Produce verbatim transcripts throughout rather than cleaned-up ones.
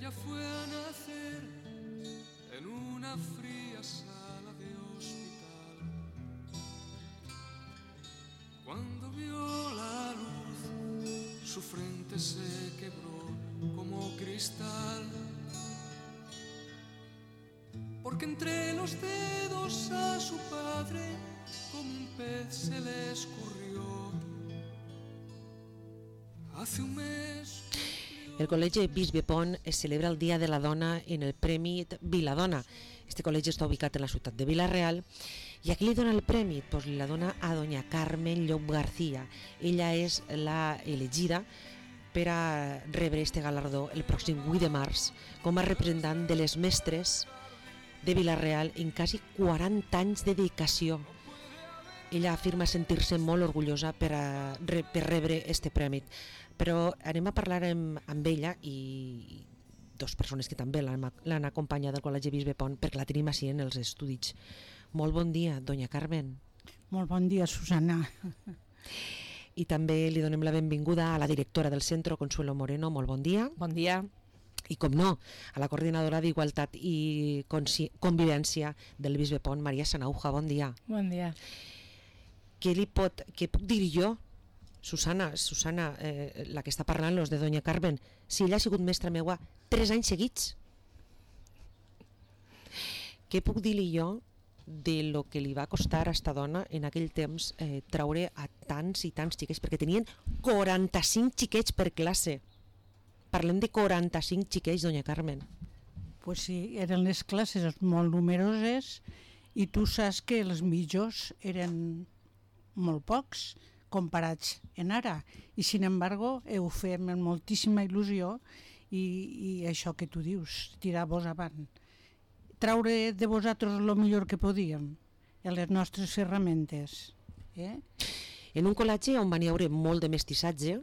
ella fue a nacer en una fría sala de hospital. Cuando vio la luz, su frente se quebró como cristal, porque entre los dedos a su padre como un pez se le escurrió. Hace un mes... El Col·legi Bisbe Pont es celebra el Dia de la Dona en el Premi Viladona. Este col·legi està ubicat en la ciutat de Vila-real. I a qui li dona el premi? Pues li la dona a doña Carmen Llop García. Ella és la elegida per a rebre este galardó el pròxim vuit de març com a representant de les mestres de Vila-real en quasi quaranta anys de dedicació. Ella afirma sentir-se molt orgullosa per, a, per rebre este premi. Però anem a parlar amb, amb ella i dues persones que també l'han acompanyat del Col·legi Bisbe Pont, perquè la tenim així en els estudis. Molt bon dia, doña Carmen. Molt bon dia, Susana. I també li donem la benvinguda a la directora del centre, Consuelo Moreno. Molt bon dia. Bon dia. I com no, a la coordinadora d'Igualtat i Convivència del Bisbe Pont, Maria Sanauja. Bon dia. Bon dia. Què li pot, què puc dir jo? Susana, Susana, eh, la que està parlant, los de doña Carmen, si ella ha sigut mestra meua tres anys seguits, què puc dir-li jo de lo que li va costar a esta dona en aquell temps eh, traure a tants i tants xiquets, perquè tenien quaranta-cinc xiquets per classe. Parlem de quaranta-cinc xiquets, doña Carmen. Pues sí, eren les classes molt numeroses i tu saps que els millors eren molt pocs comparats en ara, i sin embargo ho fem amb moltíssima il·lusió i, i això que tu dius, tirar-vos avant, traure de vosaltres el millor que podíem en les nostres ferramentes. Eh? En un col·legi on van hi haure molt de mestissatge,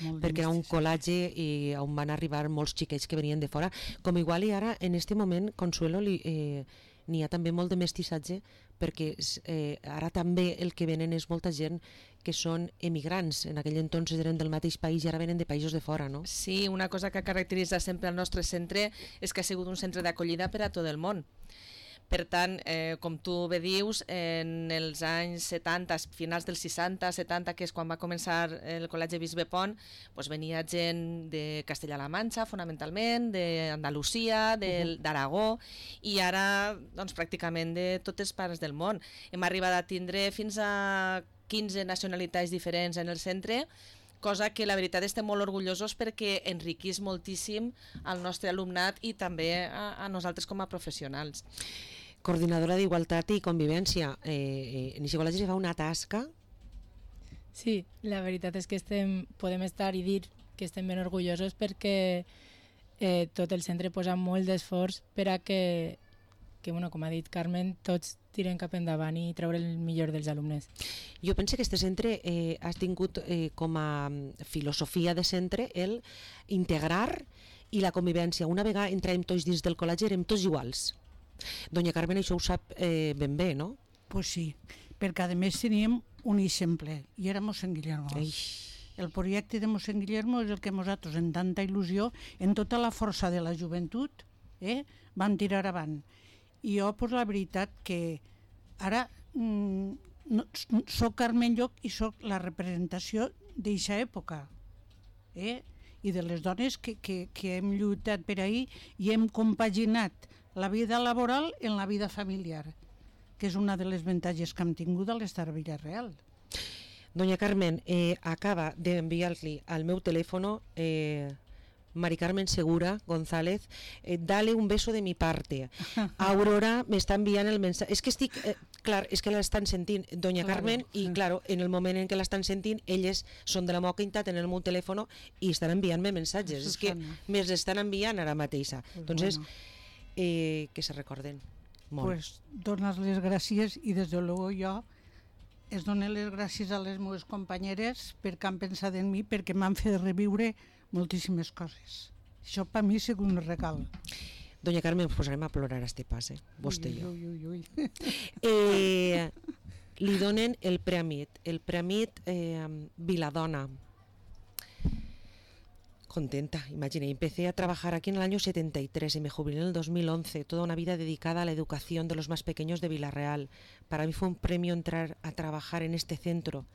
molt de perquè era un mestissatge. col·legi i on van arribar molts xiquets que venien de fora, com igual i ara en este moment, Consuelo, li, eh, n'hi ha també molt de mestissatge, perquè eh, ara també el que venen és molta gent que són emigrants, en aquell entonces eren del mateix país i ara venen de països de fora, no? Sí, una cosa que caracteritza sempre el nostre centre és que ha sigut un centre d'acollida per a tot el món. Per tant, eh, com tu bé dius, en els anys setanta, finals dels seixanta, setanta, que és quan va començar el Col·legi Bisbe Pont, doncs venia gent de Castella-La Manxa, fonamentalment, d'Andalusia, d'Aragó, i ara doncs, pràcticament de totes parts del món. Hem arribat a tindre fins a quinze nacionalitats diferents en el centre, cosa que la veritat estem molt orgullosos perquè enriquís moltíssim el nostre alumnat i també a, a nosaltres com a professionals. Coordinadora d'Igualtat i Convivència, eh, eh, en aquest col·legi se fa una tasca. Sí, la veritat és que estem, podem estar i dir que estem ben orgullosos perquè eh, tot el centre posa molt d'esforç per a que, que bueno, com ha dit Carmen, tots tiren cap endavant i treure el millor dels alumnes. Jo penso que este centre eh, ha tingut eh, com a filosofia de centre el integrar i la convivència. Una vegada entràvem tots dins del col·legi érem tots iguals. Doña Carmen això ho sap eh, ben bé, no? Pues sí, perquè a més teníem un exemple i era mossèn Guillermo. Eix. El projecte de mossèn Guillermo és el que nosaltres, en tanta il·lusió, en tota la força de la joventut, eh, vam tirar avant. I jo, pues, la veritat que ara mm, no, soc Carmen Llop i soc la representació d'eixa època, eh? I de les dones que, que, que hem lluitat per ahir i hem compaginat la vida laboral en la vida familiar, que és una de les avantatges que hem tingut a l'estar a Vila-real. Doña Carmen, eh, acaba d'enviar-li al meu telèfono eh, Mari Carmen Segura González, eh, dale un beso de mi parte. Aurora me està enviant el mensatge. És que estic, eh, clar, és que l'estan sentint Doña Claro. Carmen i claro, en el moment en què l'estan sentint, elles són de la meua quintat en el meu telèfono i estan enviant-me mensatges. És que me'ls estan enviant ara mateixa. Pues Entonces, bueno. eh, que se recorden molt. Pues donar les gràcies i des de luego jo es dono les gràcies a les meves companyeres perquè han pensat en mi, perquè m'han fet reviure moltíssimes coses. Això per mi ha sigut un regal. Doña Carmen, ens posarem a plorar a este pas, eh? Vostè i jo. Ui, ui, ui, ui. Eh, li donen el Preamit, el Preamit eh, Viladona. Contenta, imaginé, empecé a trabajar aquí en el año setenta y tres y me jubilé en el dos mil once, toda una vida dedicada a la educación de los más pequeños de Vila-real. Para mí fue un premio entrar a trabajar en este centro.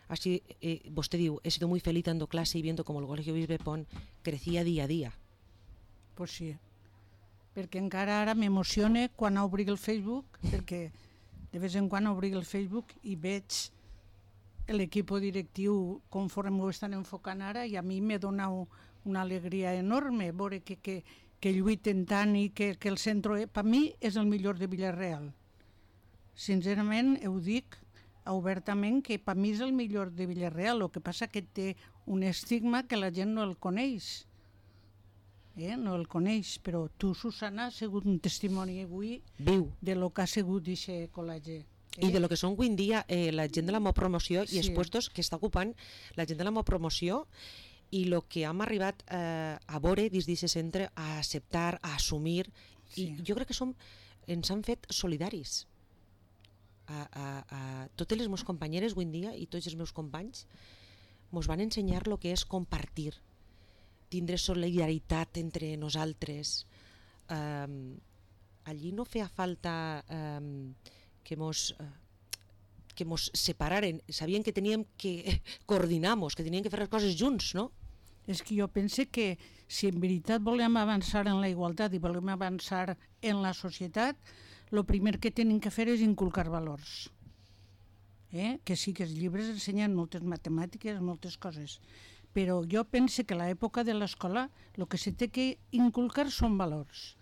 Así, eh, vostè diu, he sido muy feliz dando clase y viendo como el Colegio Bisbe Pont crecía día a día. Pues sí, perquè encara ara m'emociona quan obri el Facebook, perquè de vez en quan obri el Facebook i veig l'equip directiu conforme ho estan enfocant ara, i a mi me dona una alegria enorme veure que, que, que lluiten tant i que, que el centre, per mi, és el millor de Vila-real. Sincerament, ho dic obertament, que per mi és el millor de Vila-real, el que passa que té un estigma que la gent no el coneix. Eh? No el coneix, però tu, Susana, has sigut un testimoni avui Viu. de lo que ha sigut aquest col·legi. Eh? I de lo que són avui en dia eh, la gent de la meva promoció Sí. i els puestos que està ocupant la gent de la meva promoció i el que hem arribat eh, a veure dins d'aquest centre, a acceptar, a assumir, Sí. i jo crec que som, ens han fet solidaris. A, a, a totes les meves companyeres avui en dia i tots els meus companys ens van ensenyar el que és compartir, tindre solidaritat entre nosaltres. Um, allí no feia falta um, que mos uh, que mos separaren, sabien que teníem que coordinar-nos, que teníem que fer les coses junts, no? És que jo pense que si en veritat volem avançar en la igualtat i volem avançar en la societat, el primer que tenim que fer és inculcar valors. Eh? Que sí que els llibres ensenyen moltes matemàtiques, moltes coses, però jo pense que a l'època de l'escola el que se té que inculcar són valors,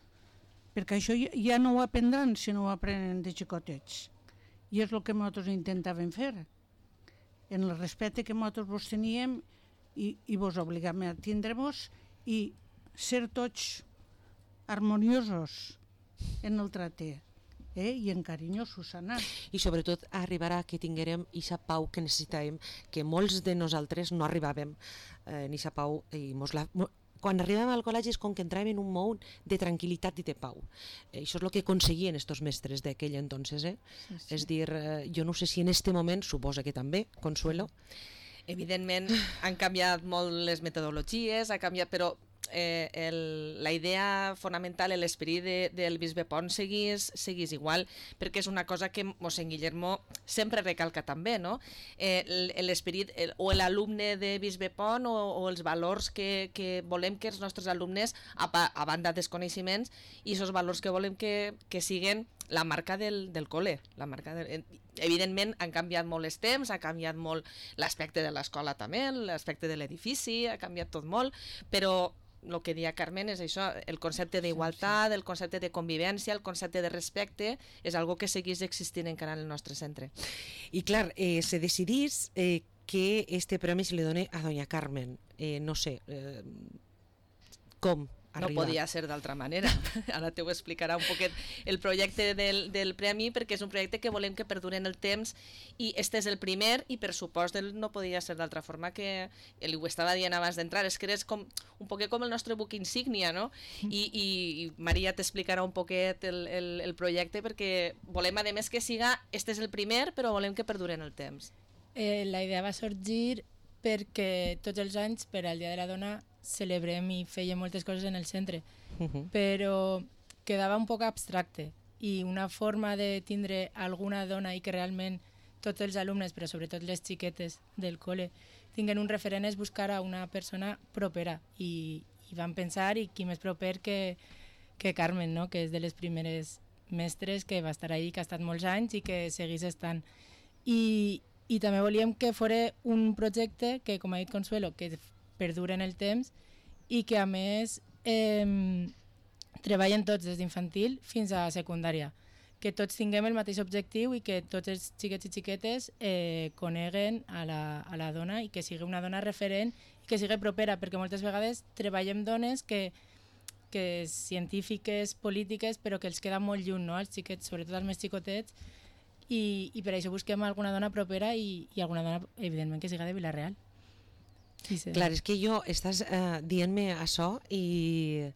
perquè això ja no ho aprendran si no ho aprenen de xicotets, i és el que nosaltres intentàvem fer, en el respecte que nosaltres vos teníem i, i vos obligàvem a tindre-vos i ser tots harmoniosos en el tracte. Eh? I en carinyo, Susana. I sobretot arribar a que tinguérem aquesta pau que necessitàvem, que molts de nosaltres no arribàvem eh, en aquesta pau. I mos la, mo, quan arribàvem al col·legi és com que entràvem en un món de tranquil·litat i de pau. Eh, això és el que aconseguien estos mestres d'aquell entonces. Eh? Sí, sí. És dir, eh, jo no sé si en este moment, suposa que també, Consuelo. Evidentment han canviat molt les metodologies, ha canviat, però eh, el, la idea fonamental, l'esperit de, del Bisbe Pont seguís, seguís igual, perquè és una cosa que mossèn Guillermo sempre recalca també, no? Eh, l'esperit o l'alumne de Bisbe Pont o, o els valors que, que volem que els nostres alumnes, a, a banda dels coneixements, i aquests valors que volem que, que siguen la marca del, del col·le. La marca del, evidentment han canviat molt els temps, ha canviat molt l'aspecte de l'escola també, l'aspecte de l'edifici, ha canviat tot molt, però el que deia Carmen és això, el concepte d'igualtat, el concepte de convivència, el concepte de respecte, és algo que segueix existint encara en el nostre centre. I clar, eh, se decidís eh, que este premi se li doni a doña Carmen. Eh, no sé, eh, com arriba? No podia ser d'altra manera. Ara te ho explicarà un poquet el projecte del, del premi, perquè és un projecte que volem que perdure en el temps i este és el primer i per supost no podia ser d'altra forma que li ho estava dient abans d'entrar, és que és com, un poquet com el nostre buc insígnia, no? I, i, i Maria t'explicarà un poquet el, el, el projecte perquè volem a més que siga, este és el primer però volem que perdure en el temps. Eh, la idea va sorgir perquè tots els anys per al Dia de la Dona celebrem i fèiem moltes coses en el centre, uh-huh. però quedava un poc abstracte i una forma de tindre alguna dona i que realment tots els alumnes, però sobretot les xiquetes del col·le, tinguen un referent és buscar a una persona propera i, i van pensar i qui més proper que, que Carmen, no? Que és de les primeres mestres que va estar ahí, que ha estat molts anys i que seguís estant. I, i també volíem que fos un projecte que, com ha dit Consuelo, que perdura en el temps i que a més eh, treballen tots des d'infantil fins a secundària, que tots tinguem el mateix objectiu i que tots els xiquets i xiquetes eh, coneguen a la, a la dona i que sigui una dona referent i que sigui propera, perquè moltes vegades treballem dones que, que científiques, polítiques, però que els queda molt lluny, no? Els xiquets, sobretot els més xicotets, i, i per això busquem alguna dona propera i, i alguna dona, evidentment, que siga de Vila-real. Sí, sí. Clar, és que jo estàs eh, dient-me això i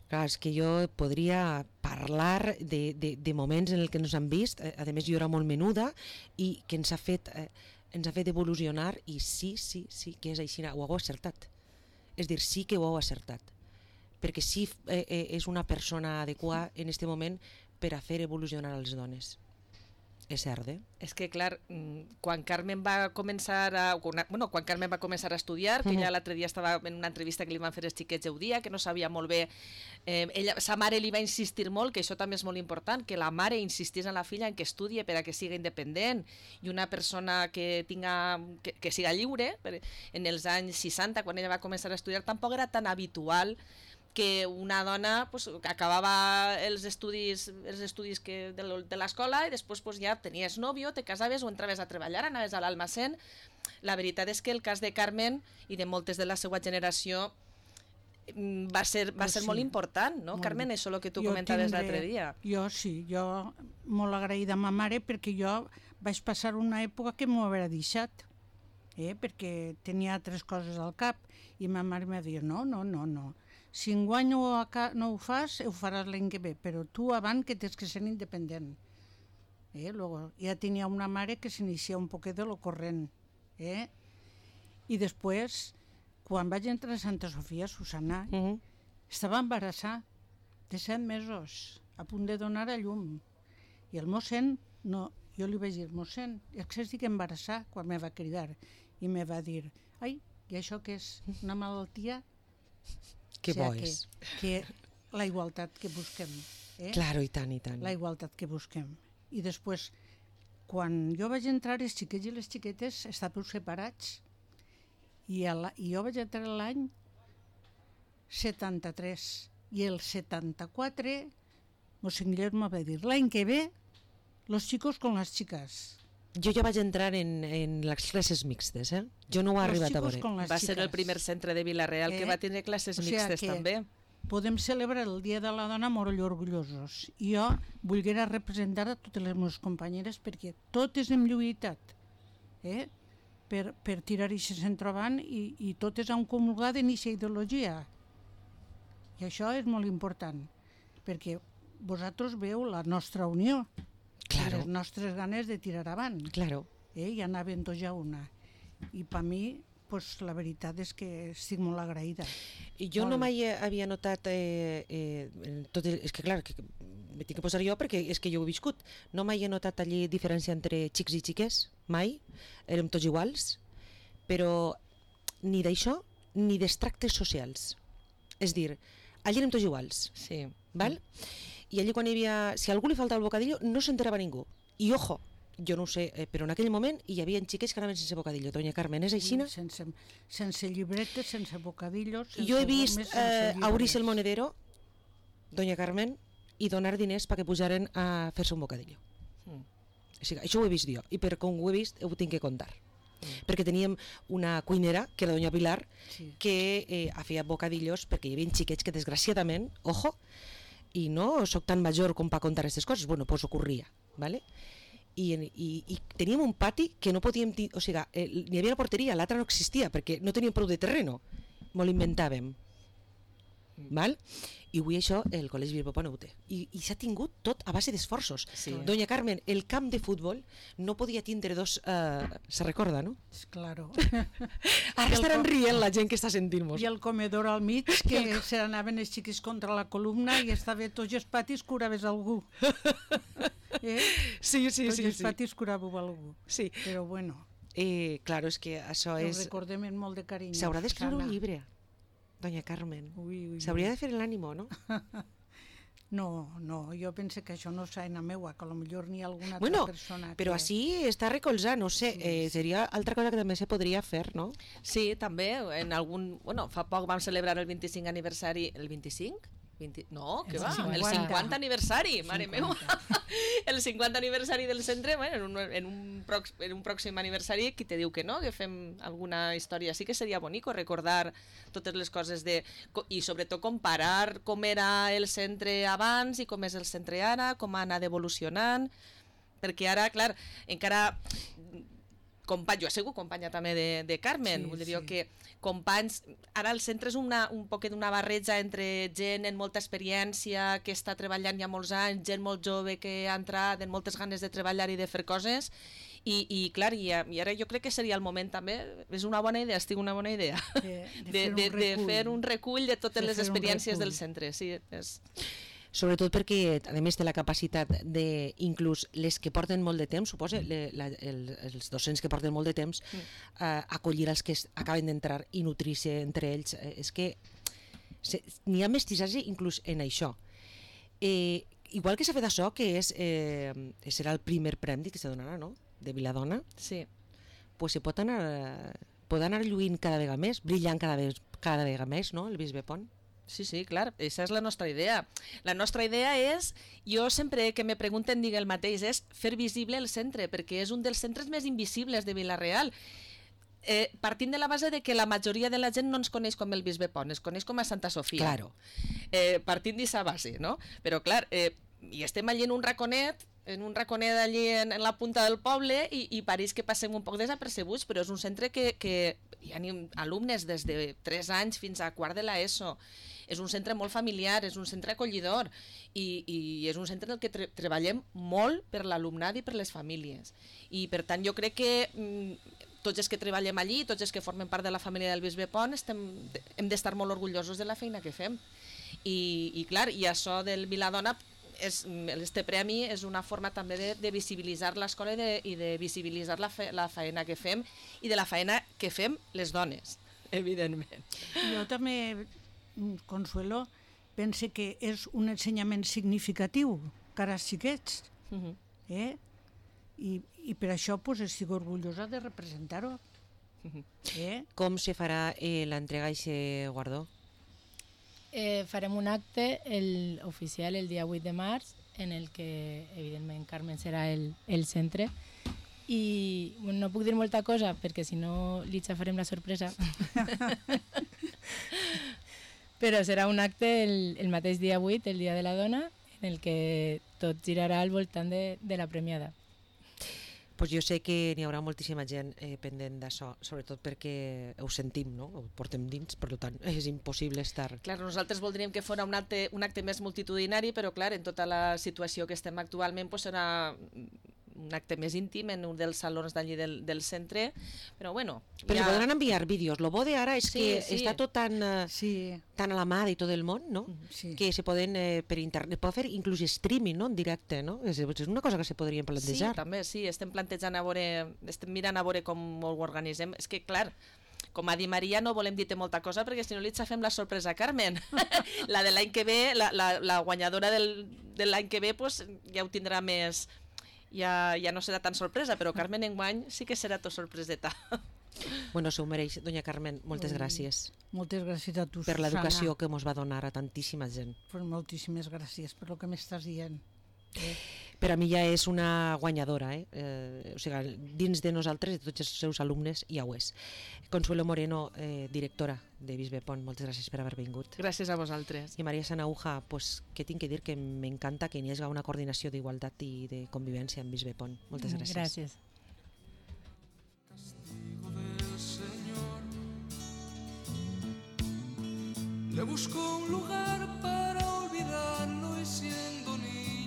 clar, és que jo podria parlar de, de, de moments en el que ens han vist, eh, a més jo era molt menuda i que ens ha fet eh, ens ha fet evolucionar i sí, sí, sí que és així, ho hago acertat. És dir, sí que ho heu acertat, perquè sí eh, eh, és una persona adequada en aquest moment per a fer evolucionar les dones. És cert, eh? És que, clar, quan Carmen va començar a... Bueno, quan Carmen va començar a estudiar, que ella l'altre dia estava en una entrevista que li van fer els xiquets Eudia, que no sabia molt bé... Eh, ella, sa mare li va insistir molt, que això també és molt important, que la mare insistís en la filla en que estudie per a que siga independent i una persona que tinga que, que siga lliure. En els anys seixanta, quan ella va començar a estudiar, tampoc era tan habitual que una dona pues, acabava els estudis, els estudis que de, de l'escola i després pues, ja tenies nòvio, te casaves o entraves a treballar, anaves a l'almacén. La veritat és que el cas de Carmen i de moltes de la seva generació va ser, va ser sí, molt important, no, molt. Carmen? Això el que tu Jo comentaves tindré- l'altre dia. Jo sí, jo molt agraïda a ma mare perquè jo vaig passar una època que m'ho havia deixat, eh? perquè tenia altres coses al cap i ma mare m'ha dit no, no, no, no. Si enguany no, no ho fas, ho faràs l'any que ve, però tu abans que tens que ser independent. Eh? Luego, ja tenia una mare que s'inicia un poquet de lo corrent. Eh? I després, quan vaig entrar a Santa Sofia, Susana, Uh -huh. estava embarassada de set mesos, a punt de donar a llum. I el mossèn, no, jo li vaig dir, mossèn, és que estic embarassada, quan me va cridar. I me va dir, ai, i això què és? Una malaltia? Que O sea, bo que, és. que la igualtat que busquem. Eh? Claro, i tant, i tant. La igualtat que busquem. I després, quan jo vaig entrar, els xiquets i les xiquetes estàveu separats. I, a la, i jo vaig entrar l'any setanta-tres. I el setanta-quatre, mossèn Guillermo va dir, l'any que ve, los chicos con las chicas. Jo ja vaig entrar en, en les classes mixtes, eh? Jo no ho he Los arribat a chicos veure. con las Va ser el chicas. primer centre de Vila-real Eh? que va tenir classes O sea mixtes que- també. Podem celebrar el Dia de la Dona molt orgullosos. I jo volguera representar a totes les meves companyeres perquè totes hem lluitat eh? per, per tirar aquest centre avant i, i totes han comulgat en aquesta ideologia. I això és molt important, perquè vosaltres veu la nostra unió, Claro. les nostres ganes de tirar avant. Claro. Eh? I anaven tots a una. I per mi, pues, la veritat és que estic molt agraïda. I jo Molt. no mai havia notat eh, eh, en tot el, és que clar, que me tinc que posar jo perquè és que jo ho he viscut. No mai he notat allí diferència entre xics i xiques, mai. Érem tots iguals, però ni d'això ni dels tractes socials. És dir, allí érem tots iguals, Sí. val? I allí quan hi havia, si a algú li faltava el bocadillo no s'enterava ningú. I ojo, jo no ho sé, eh, però en aquell moment hi havia xiques que anaven sense bocadillo. Doña Carmen, és així? Sense, sense llibretes, sense bocadillos... Sense Jo he vist gomes, eh, sense obrir el llibres. monedero, doña Carmen, i donar diners perquè pujaren a fer-se un bocadillo. Mm. O sigui, això ho he vist jo, i per com ho he vist ho tinc que contar. Mm. Perquè teníem una cuinera, que era doña Pilar, Sí. que eh, feia bocadillos perquè hi havia xiquets que desgraciadament, ojo, i no sóc tan major com per contar aquestes coses, bueno, pues ocorria, ¿vale? I, i, i teníem un pati que no podíem dir, o sigui, eh, n'hi havia una porteria, l'altra no existia perquè no teníem prou de terreno, m'ho inventàvem, val? I avui això el Col·legi Bilbao no ho té. I, i s'ha tingut tot a base d'esforços. Sí. Doña Carmen, el camp de futbol no podia tindre dos... Eh, se recorda, no? Claro. Ara el estaran com- rient la gent que està sentint-nos. I el comedor al mig, que se n'anaven els xiquis contra la columna i estava tots els patis curaves algú. Eh? Sí, sí, Tots sí. els sí. patis curàveu algú. sí. Però bueno, Eh, claro, és que això ho és... recordem amb molt de carinyo. S'haurà d'escriure un Susana. llibre, doña Carmen. Ui, ui, S'hauria ui. de fer l'ànimo, no? No, no, jo pense que això no és feina meua, que potser n'hi ha alguna altra Bueno, persona però que... així està recolzat, no sé, eh, seria altra cosa que també se podria fer, no? Sí, també, en algun... Bueno, fa poc vam celebrar el vint-i-cinc aniversari... El vint-i-cinc? vint... No, què El va? El cinquanta. cinquanta aniversari, mare meva. El cinquanta aniversari del centre, bueno, en, un, en, un prox, en un pròxim aniversari, qui te diu que no, que fem alguna història. Sí que seria bonico recordar totes les coses de... I sobretot comparar com era el centre abans i com és el centre ara, com ha anat evolucionant, perquè ara, clar, encara... Company, jo he sigut companya també de, de Carmen, Sí, vull dir sí. jo que companys, ara el centre és una, un poquet una barreja entre gent amb molta experiència, que està treballant ja molts anys, gent molt jove que ha entrat amb moltes ganes de treballar i de fer coses, I, i clar, i, i ara jo crec que seria el moment també, és una bona idea, estic una bona idea, De, de, de, de fer un recull de totes De les fer un experiències recull. del centre. Sí, és... Sobretot perquè, a més, té la capacitat de, inclús les que porten molt de temps, suposa, le, la, el, els docents que porten molt de temps, Mm. eh, acollir els que es- acaben d'entrar i nutrir-se entre ells. Eh, és que se- n'hi ha mestissatge inclús en això. Eh, igual que s'ha fet això, que és, eh, serà el primer premi que se donarà, no?, de Viladona, Sí. pues se pot anar, pot anar lluint cada vegada més, brillant cada, vegada, cada vegada més, no?, el Bisbe Pont. Sí, sí, clar, aquesta és la nostra idea. La nostra idea és, jo sempre que me pregunten dic el mateix, és fer visible el centre, perquè és un dels centres més invisibles de Vila-real. Eh, partint de la base de que la majoria de la gent no ens coneix com el Bisbe Pont, es coneix com a Santa Sofia. Claro. Eh, partint d'aquesta base, no? Però clar, eh, i estem allí en un raconet, en un raconet allí en, en la punta del poble i, i pareix que passem un poc desapercebuts, però és un centre que, que hi ha alumnes des de tres anys fins a quart de l'ESO. És un centre molt familiar, és un centre acollidor i, i és un centre en el que tre treballem molt per l'alumnat i per les famílies. I per tant jo crec que mm, tots els que treballem allí, tots els que formen part de la família del Bisbe Pont, estem, hem d'estar molt orgullosos de la feina que fem. I, i clar, i això del Viladona, és, este premi és una forma també de, de visibilitzar l'escola i, de, i de visibilitzar la, fe, la feina que fem i de la feina que fem les dones, evidentment. Jo també, Consuelo, pense que és un ensenyament significatiu cara als xiquets, Uh -huh. eh? I, i per això pues, estic orgullosa de representar-ho. Eh? Com se farà eh, l'entrega d'aquest guardó? Eh, farem un acte el, oficial el dia vuit de març, en el que, evidentment, Carmen serà el, el centre. I bueno, no puc dir molta cosa, perquè si no li xafarem la sorpresa. Però serà un acte el, el mateix dia vuit, el dia de la dona, en el que tot girarà al voltant de, de la premiada. Pues jo sé que n'hi haurà moltíssima gent eh, pendent d'això, sobretot perquè ho sentim, no? Ho portem dins, per tant és impossible estar... Clar, nosaltres voldríem que fos un acte, un acte més multitudinari, però clar, en tota la situació que estem actualment pues, serà un acte més íntim en un dels salons d'allí del, del centre, però bueno... Però ja... se podran enviar vídeos. Lo bo de ara és Sí, que sí. està tot tan, eh, Sí, tan a la mà de tot el món, no? sí. Que se poden eh, per internet, pot fer inclús streaming, no?, en directe, no? És, és una cosa que se podria Sí, plantejar. també, sí, estem plantejant a veure, estem mirant a veure com ho organitzem. És que, clar, com ha dit Maria, no volem dir-te molta cosa perquè si no li xafem la sorpresa a Carmen. La de l'any que ve, la, la, la guanyadora del, de l'any que ve, pues, ja ho tindrà més... Ja, ja no serà tan sorpresa, però Carmen enguany sí que serà tot sorpreseta. Bueno, se ho mereix, doña Carmen, moltes gràcies Moltes gràcies a tu, per Susana. l'educació que ens va donar a tantíssima gent. Pues moltíssimes gràcies per el que m'estàs dient. Eh? Per a mi ja és una guanyadora, eh? Eh, o sigui, dins de nosaltres, de tots els seus alumnes, ja ho és. Consuelo Moreno, eh, directora de Bisbe Pont, moltes gràcies per haver vingut. Gràcies a vosaltres. I Maria Sanauja, pues, què tinc que dir? Que m'encanta que n'hi hagi una coordinació d'igualtat i de convivència en Bisbe Pont. Moltes gràcies. Gràcies. Castigo del Señor. Le busco un lugar para olvidarlo y siempre